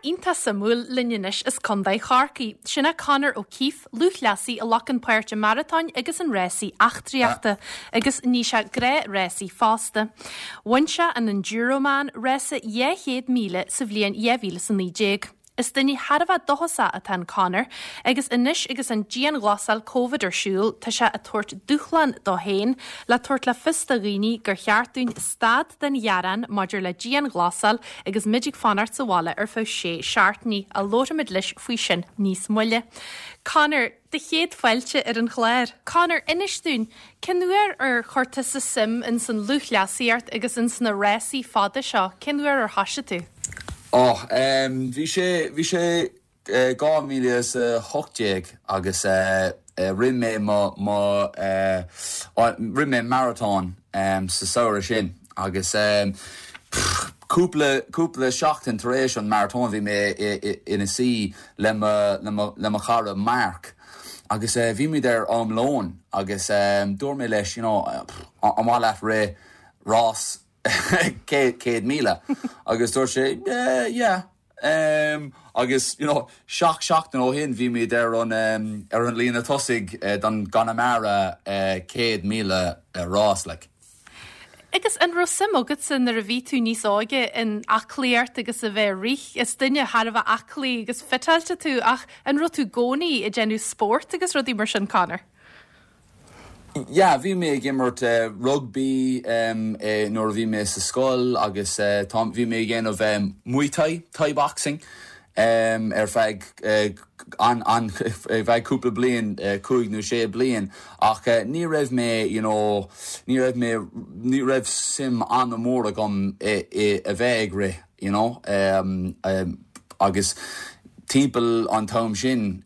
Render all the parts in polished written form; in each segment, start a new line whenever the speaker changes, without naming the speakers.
iontach suimiúil linn anois as Contae Chorcaí. Sin é Conor O'Keeffe, lúthchleasaí a ghlacann páirt i maratóin agus in rásaí eachtraíochta, agus ní sé gnáthrásaí fosta. Bhain sé an Enduroman, rása 200 míle, sa bhliain 2019. Is duine thar a bheith dóchasach atá in Conor agus anois agus an dianghlasáil Covid ar siúl tá sé ag tabhairt dúshlán dó féin le tabhairt le fios do dhaoine gur cheart dúinn stad den ghearán maidir le dianghlasáil agus muid ag fanacht sa bhaile ar feadh sé seachtainí. Labharfaimid leis faoi sin níos moille. Conor, do chéad fáilte ar an chlár. Conor, inis dúinn, cén uair ar chuir tusa suim ins an lúthchleasaíocht agus ins na rásaí fada seo, cén uair ar thoisigh tú?
Ó, bhí sé, bhí sé 2018 agus rith mé mo, mo, rith mé maratón sa samhradh sin agus cúpla, cúpla seachtain tar éis an maratón bhí mé ina suí le mo, le mo, le mo chara Mark agus bhí muid ar am lóin agus dúirt mé leis you know an mhaith leat rith rás 100,000 agus dúirt sé yeah, yeah. Agus you know seacht seachtain ó shin bhí muid ar an ar an líne tosaigh don gConamara 100,000 rás like.
Agus an raibh suim agatsa nuair a bhí tú níos óige in aclaíocht agus a bheith ag rith? Is duine thar a bheith aclaí agus fiteáilte tú ach an raibh tú i gcónaí ag déanamh spóirt agus rudaí mar sin, Conor?
Yeah, bhí mé ag imirt rugbaí nuair a bhí mé sa scoil agus tá, bhí mé ag déanamh Muay Thai, Thai boxing, ar feadh an, an, ar feadh cúpla bliain, cúig nó sé bliain ach ní raibh mé, you know, ní raibh mé, ní raibh suim an-mhór agam i, i a bheith ag rith. you know agus timpeall an t-am sin,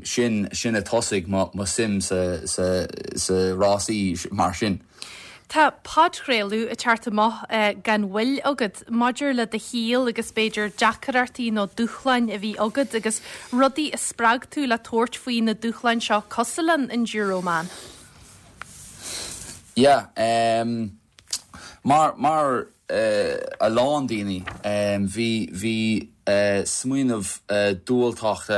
sin, sin a thosaigh mo, mo suim sa, sa, sa rásaí mar sin.
Tá podchraoladh ag teacht amach gan mhoill agat maidir le do shaol agus b'fhéidir deacrachtaí nó dúshláin a bhí agat agus rudaí a spreag tú le tabhairt faoi na dúshláin seo cosúil leis an Enduroman.
Yeah, Mar, mar a lán daoine, bhí, bhí smaoineamh diúltach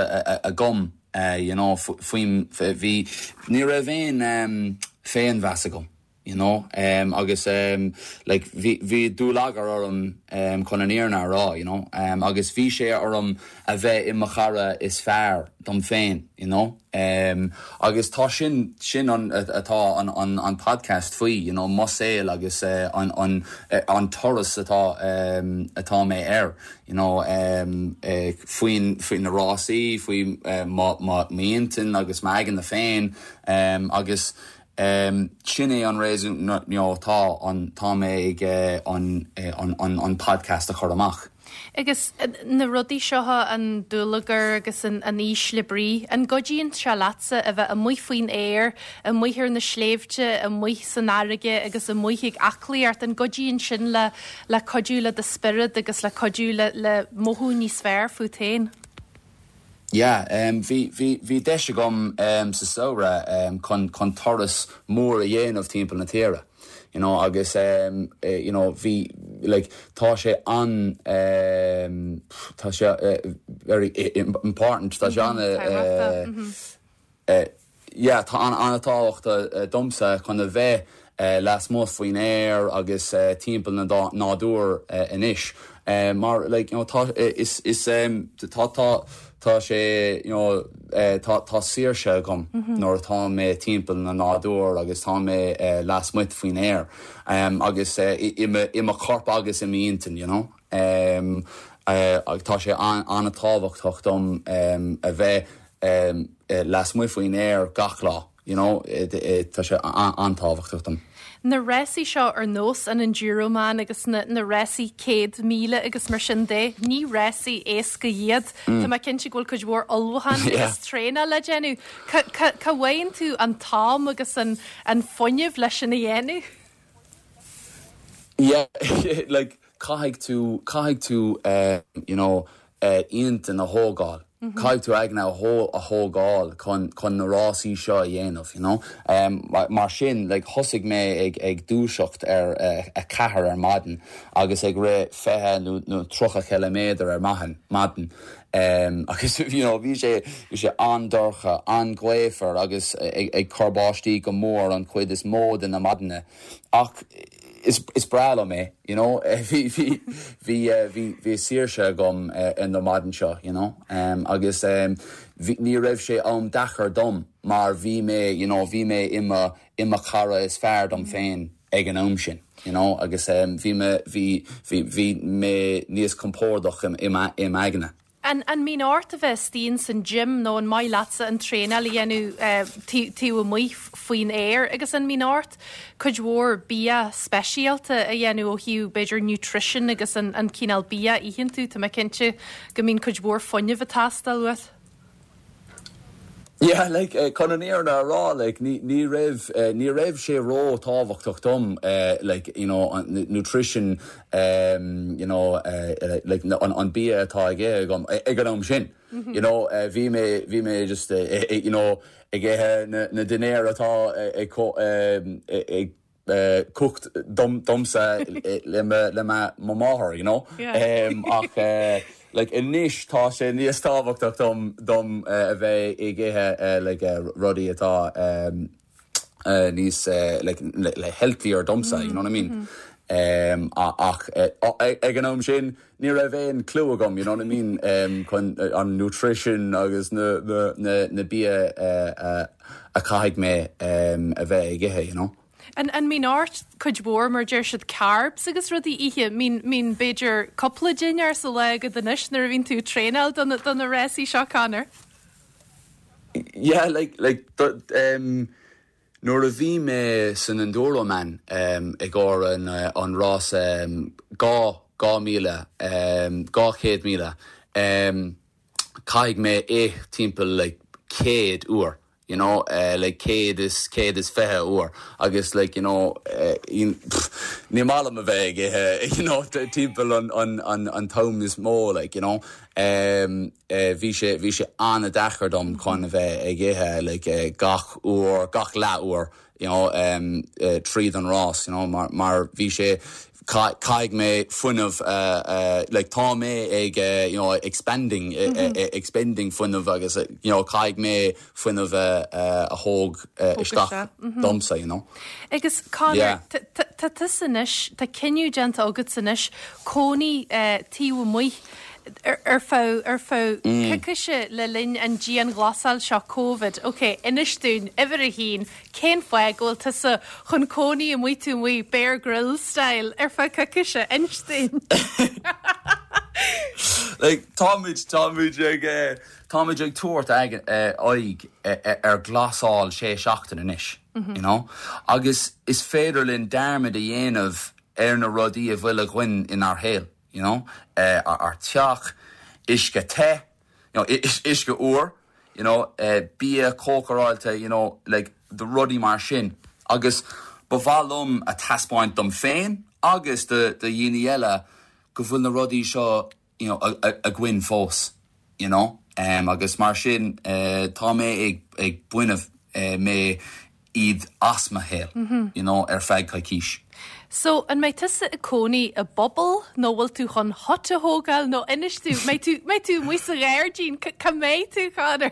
agam, you know, faoin, bhí, ní raibh aon féinmheas agam, you know, agus like bhí, bhí dúlagar orm chun an fhírinne a rá, you know, agus bhí sé orm a bheith i mo chara is fearr dom féin, you know. Agus tá sin, sin an, atá an, an, an podcast faoi, you know, mo saol agus an, an, an turas atá, atá mé air, you know, faoin, faoi na rásaí, faoi mo, mo, m'intinn agus m'aigne féin, agus sin é an réasún, you know, tá an, tá mé ag an, an, an, an podcast a chur amach.
Agus na rudaí seo, an dúlagar agus an ísle brí, an gcuidíonn sé leatsa a bheith amuigh faoin aer, amuigh ar na sléibhte, amuigh san fharraige agus amuigh ag aclaíocht, an gcuidíonn sin le le cuidiú le do spiorad agus le cuidiú le le mothú níos fearr fút féin?
Yeah, bhí, bhí, bhí deis agam sa samhradh chun, chun turas mór a dhéanamh timpeall na tíre, you know, agus you know, bhí, like, tá sé an, tá sé very important, tá sé an, Yeah, tá an-tábhachtach domsa chun a bheith lasmuigh faoin aer agus timpeall na nádúr anois mar like you know tá is is tá tá tá sé you know tá tá saoirse agam nuair atá mé timpeall na nádúr agus tá mé lasmuigh faoin aer agus i mo i mo chorp agus i m'intinn you know. Tá sé an-tábhachtach dom a bheith lasmuigh faoin aer gach lá, you know, tá sé an-tábhachtach dom.
Na rásaí seo ar nós an Enduroman agus na rásaí 100,000 agus mar sin de, ní rásaí éasca iad. Tá mé cinnte go bhfuil cuid mhór ullmhúchán agus traenáil le déanamh. Cá bhfaigheann tú an t-am agus an fuinneamh leis sin a dhéanamh?
Yeah, like caithfidh tú, caithfidh tú, you know, intinn a thógáil. Caithfidh tú aigne a thógáil chun na rásaí seo a dhéanamh, you know. Mar sin, like, thosaigh mé ag ag dúiseacht ar a 4 ar maidin agus ag rith 20 nó 30 ciliméadar ar maidin, maidin. Agus, you know, bhí sé, bhí sé an-dorcha, an-ghaofar agus ag cur báistí go mór an chuid is mó de na maidine. Ach is is breá liom é, you know, bhí bhí bhí bhí bhí saoirse agam ar na maidin seo, you know, agus bhí ní raibh sé am deacair dom mar bhí mé, you know, bhí mé i mo i mo chara is fearr dom féin ag an am sin, you know, agus bhí mé bhí bhí bhí mé níos compordach i i m'aigne.
An mbíonn ort a bheith istigh ins an gym nó an maith leatsa an traenáil a dhéanamh taobh amuigh faoin aer agus an mbíonn ort cuid mhór bia speisialta a dhéanamh ó thaobh b'fhéidir nutrition agus an cineál bia a itheann tú, tá mé cinnte go mbíonn cuid mhór fuinnimh ag teastáil uait.
Yeah, like, chun an fhírinne a rá, like, ní, ní raibh, ní raibh sé ró-tábhachtach dom, like, you know, an nutrition, you know, like, an, an bia atá ag ithe agam ag an am sin. You know, bhí mé, bhí mé just, you know, ag ithe na, na dinnéir atá ag, ag, cooked domsa le mo mháthair, you know. Ach like anois tá sé níos tábhachtach dom dom a bheith ag ithe like rudaí atá níos like le healthier domsa, you know what I mean? Ach ag an am sin ní raibh aon clue agam, you know what I mean, chun an nutrition agus na na na bia a chaithfidh mé a bheith ag ithe, you know.
An an mbíonn ort cuid mhór, mar a deir siad, carbs agus rudaí a ithe? Mbíonn mbíonn b'fhéidir cúpla dinnéar sa lá agat anois nuair a bhíonn tú ag traenáil do na do na rásaí seo, Conor?
Yeah, like like do um Nuair a bhí mé san Enduroman i gcomhair an rása 2 2,000, 200 míle, caithfidh mé ith timpeall like 100 uair, you know, like 100 is 120 uair agus like you know ní maith liom a bheith ag ithe you know timpeall an t-am is mó like you know. Bhí sé, bhí sé an-deacair dom chun a bheith ag ithe like gach uair, gach leath uair you know tríd an rás you know mar, mar bhí sé, caithfidh mé fuinneamh like tá mé ag you know expanding, expending fuinneamh agus you know caithfidh mé fuinneamh a thóg isteach domsa you know.
Agus Conor, tá tusa anois, tá cinneadh déanta agatsa anois cónaí taobh amuigh ar feadh ar feadh coicíse le linn an dianghlasáil seo Covid. Ok, inis dúinn, uimhir a haon, cén fáth go bhfuil tusa chun cónaí amuigh taobh amuigh Bear Grylls style ar feadh coicíse? Inis dúinn.
Like, táimid, táimid ag, táimid ag tabhairt aghaidh ar ghlasáil sé seachtain anois, you know? Agus is féidir linn dearmad a dhéanamh ar na rudaí a bhfuil againn inár shaol. you know, ár teach, uisce te, you know, uisce úr, you know, bia cócaráilte, you know, like, the rudaí mar sin. Agus ba mhaith liom a taispeáint dom féin agus do dhaoine eile go bhfuil na rudaí seo, you know, againn fós, you know. Agus mar sin, tá mé ag, ag baineadh mé iad as mo shaol, you know, ar feadh coicís.
So, an mbeidh tusa ag cónaí i bpuball nó bhfuil tú chun hut a thógáil nó inis dúinn, mbeidh tú, mbeidh tú amuigh sa ghairdín, cá mbeidh tú, Conor?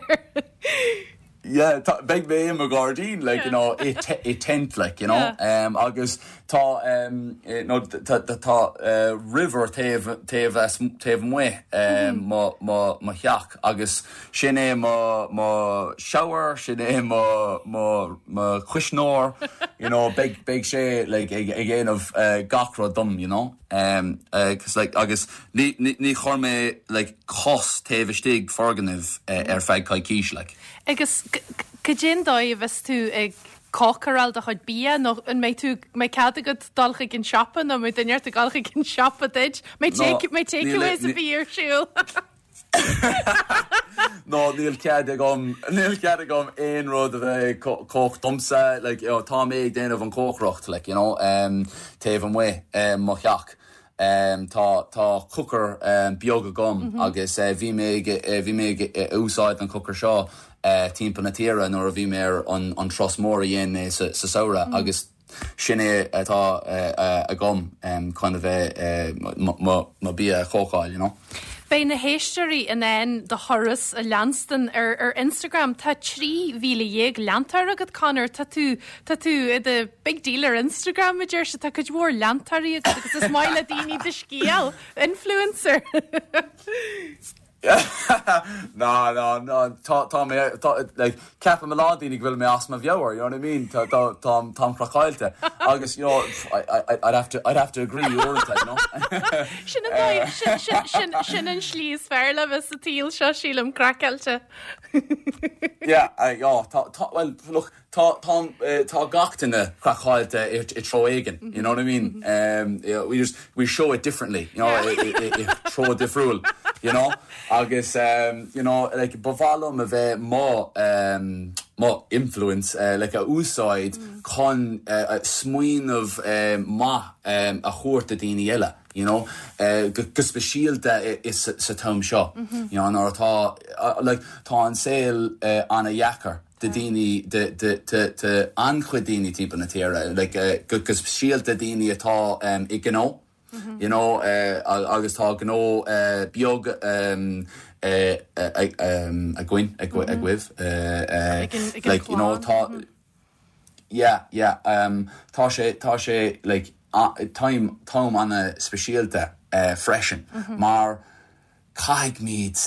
Yeah, tá, beidh mé i mo ghairdín, like, you know, i, i tent, like, you know, um, agus tá, um, no, tá, tá, tá, uh, river taobh, taobh as, taobh amuigh, um, mo, mo, mo theach agus Sin é mo mo shower, sin é mo mo mo chuisneoir, you know, beidh beidh sé like ag ag déanamh gach rud dom, you know. Um cos like agus ní ní ní chuir mé like cos taobh istigh foirgnimh ar feadh coicís like.
Agus cad é an dóigh a bheas tú ag cócaráil do chuid bia nó an mbeidh tú mbeidh cead agat dul chuig an siopa nó mbeidh duine ort ag dul chuig an siopa duit? Mbeidh take mbeidh takeaways a bhí ar siúl?
No, níl cead agam, níl cead agam aon rud a bheith ag cócaireacht domsa, like, you know, tá mé ag déanamh an cócaireacht, like, you know, um, taobh amuigh um, mo theach. Tá tá cooker beag agam agus bhí mé ag bhí mé ag úsáid an cooker seo timpeall na tíre nuair a bhí mé ar an an turas mór a dhéan mé sa sa samhradh agus sin é atá agam chun a bheith mo bia a chócáil, you know.
Beidh na héisteoirí in ann do thuras a leanstan ar ar Instagram. Tá 13,000 leantóir agat, Conor. Tá tú tá tú i do big deal ar Instagram, a deir siad. Tá cuid mhór leantóirí agat agus is maith le daoine do scéal. Influencer!
Ná, ná, ná, tá, tá mé, tá, like, ceapann a lán daoine go bhfuil mé as mo mheabhair, you know what I mean? Tá, tá, táim, táim craiceáilte. Agus, you know, I, I, I'd have to, I'd have to agree uaireanta, you know?
Sin an dóigh, sin, sin, sin, sin an slí is fearr le bheith sa tsaol seo, sílim, craiceáilte.
Yeah, I, oh, tá, tá, well, look, Tá, tá, tá gach duine craiceáilte i treo éigin, you know what I mean? We just, we show it differently, you know, i treo difriúil, you know? Agus, you know, like, ba mhaith liom a bheith mo, mo influence, like, a úsáid chun smaoineamh maith a thabhairt do daoine eile, you know? Go speisialta sa t-am seo, you know, nuair atá, like, tá an saol an-dheacair. do daoine, do an-chuid daoine timpeall na tíre, like go speisialta daoine atá i gnó, you know, agus tá gnó beag againn, agaibh, like, you know, tá, yeah, yeah, tá sé, tá sé, like, t-am an-speisialta freisin mar, caithfimid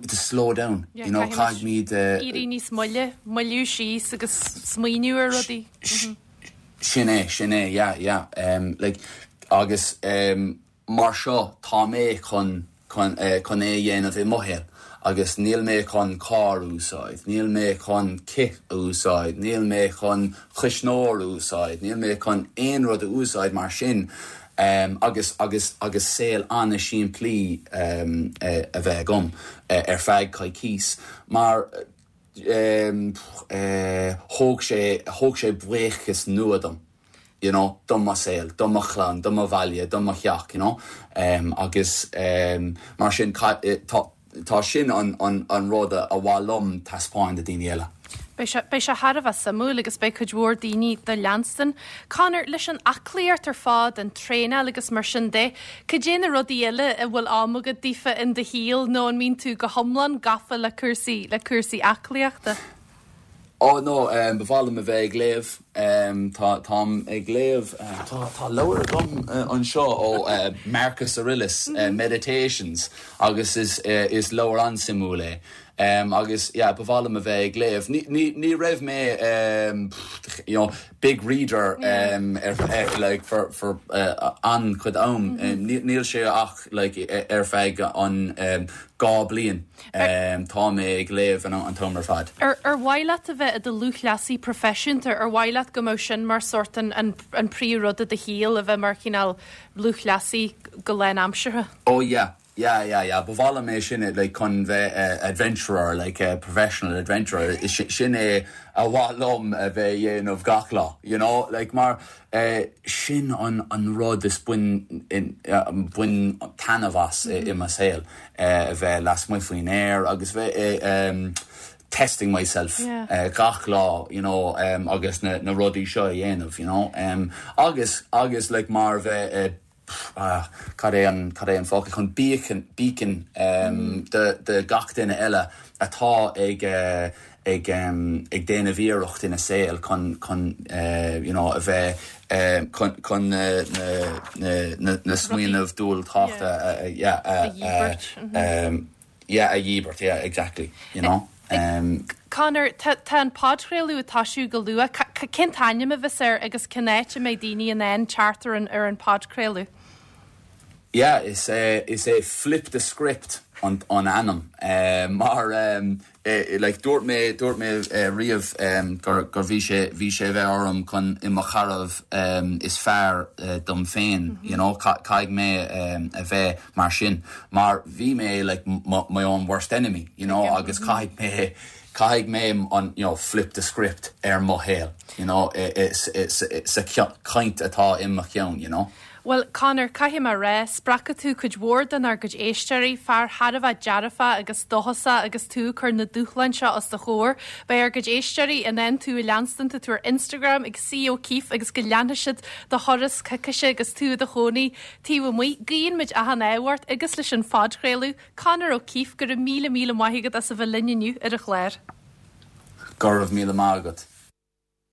to slow down, you know,
caithfimid. Éirí níos moille, moilliú síos agus smaoineamh ar rudaí.
Sin é, sin é, yeah, yeah. Like, agus mar seo tá mé chun, chun, chun é a dhéanamh i mo shaol agus níl mé chun carr a úsáid, níl mé chun cith a úsáid, níl mé chun cuisneoir a úsáid, níl mé chun aon rud a úsáid mar sin. agus agus agus saol an-simplí a bheith agam ar feadh coicís mar thóg sé thóg sé buíochas nua dom you know do mo saol, do mo chlann, do mo bhaile, do mo theach you know agus mar sin tá Tá sin an rud a mhaith liom taispeáin do daoine eile.
Beidh sé, beidh sé thar a bheith suimiúil agus beidh cuid mhór daoine do leanstan. Conor, leis an aclaíocht ar fad, an traenáil agus mar sin de, cad é na rudaí eile a bhfuil am agat daofa in do shaol nó an mbíonn tú go hiomlán gafa le cúrsaí, le cúrsaí aclaíochta?
Oh no, ba mhaith liom a bheith ag léamh. Tá, táim ag léamh, tá, tá leabhar agam anseo ó Marcus Aurelius, Meditations, agus is, is leabhar an-suimiúil é. Agus yeah, ba mhaith liom a bheith ag léamh. Ní, ní, ní raibh mé, you know, big reader ar, like, for, for an-chuid am. Níl sé ach like ar feadh an 2 bliain. Tá mé ag léamh an t-am ar fad.
Ar mhaith leat a bheith i do lúthchleasaí proifisiúnta? Ar mhaith leat go mbeadh sin mar sórt an an príomhrud i do shaol, a bheith mar chineál lúthchleasaí go lánaimseartha?
Oh yeah, yeah, yeah, yeah. Ba mhaith liom é sin like chun bheith adventurer, like professional adventurer. Sin é a mhaith liom a bheith a dhéanamh gach lá, you know, like mar Sin an rud is bain taitneamh as i mo saol, a bheith lasmuigh faoin aer agus bheith testing myself gach lá you know agus na rudaí seo a dhéanamh you know agus agus like mar bheith cad é an cad é an focal chun beacon beacon do do gach duine eile atá ag ag ag déanamh iarracht ina saol chun chun you know a bheith chun chun na na na na smaoineamh dúltachta a yeah a a yeah a dhíbirt yeah exactly you know.
Conor, tá tá an podchraoladh ag toisiú go luath. Cén t-ainm a bheas air agus cén áit a mbeidh daoine in ann teacht ar an ar an podchraoladh?
Yeah, is é is é Flip the Script an an ainm mar like dúirt mé dúirt mé riamh gur gur bhí sé bhí sé a bheith orm chun i mo chara is fearr dom féin you know caithfidh mé a bheith mar sin mar bhí mé like my own worst enemy you know agus caithfidh mé. Caithfidh mé an, you know, flip the script ar mo shaol, you know, sa chaint atá i mo cheann, you know.
Bhuel, Conor, caithfidh mé a rá, spreagfaidh tú cuid mhór denár gcuid éisteoirí, fear thar a bheith dearfach agus dóchasach agus tú ag cur na dúshláin seo os do chomhair. Beidh ár gcuid éisteoirí in ann tú a leanstan, tá tú ar Instagram ag C O'Keeffe agus go leanfaidh siad do thuras coicíse agus tú i do chónaí taobh amuigh. Guíonn muid achan ádh ort agus leis an phodchraoladh. Conor O'Keeffe, go raibh míle míle maith agat as a bheith linn inniu ar an chlár.
Go raibh míle maith agat.